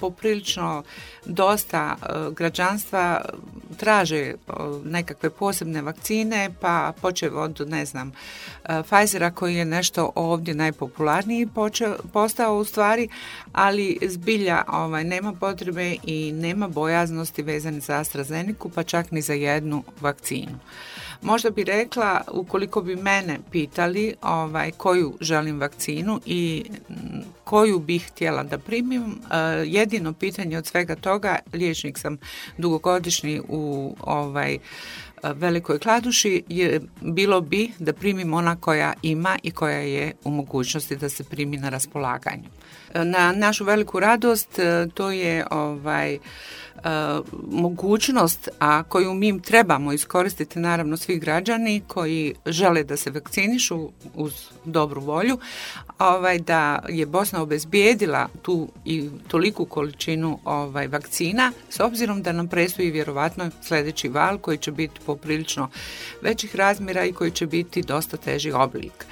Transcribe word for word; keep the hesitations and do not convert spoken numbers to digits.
Poprilično dosta građanstva traže nekakve posebne vakcine, pa počev od, ne znam, Pfizera koji je nešto ovdje najpopularniji počeo, postao u stvari, ali zbilja ovaj, nema potrebe i nema bojaznosti vezane za AstraZenecu, pa čak ni za jednu vakcinu. Možda bi rekla, ukoliko bi mene pitali ovaj, koju želim vakcinu i koju bih htjela da primim, jedino pitanje od svega toga, liječnik sam dugogodišnji u ovaj, Velikoj Kladuši, je, bilo bi da primim ona koja ima i koja je u mogućnosti da se primi na raspolaganju. Na našu veliku radost to je ovaj, mogućnost, a koju mi trebamo iskoristiti, naravno svi građani koji žele da se vakcinišu uz dobru volju, ovaj, da je Bosna obezbijedila tu i toliku količinu ovaj, vakcina, s obzirom da nam predstoji vjerovatno sljedeći val koji će biti poprilično većih razmjera i koji će biti dosta teži oblik.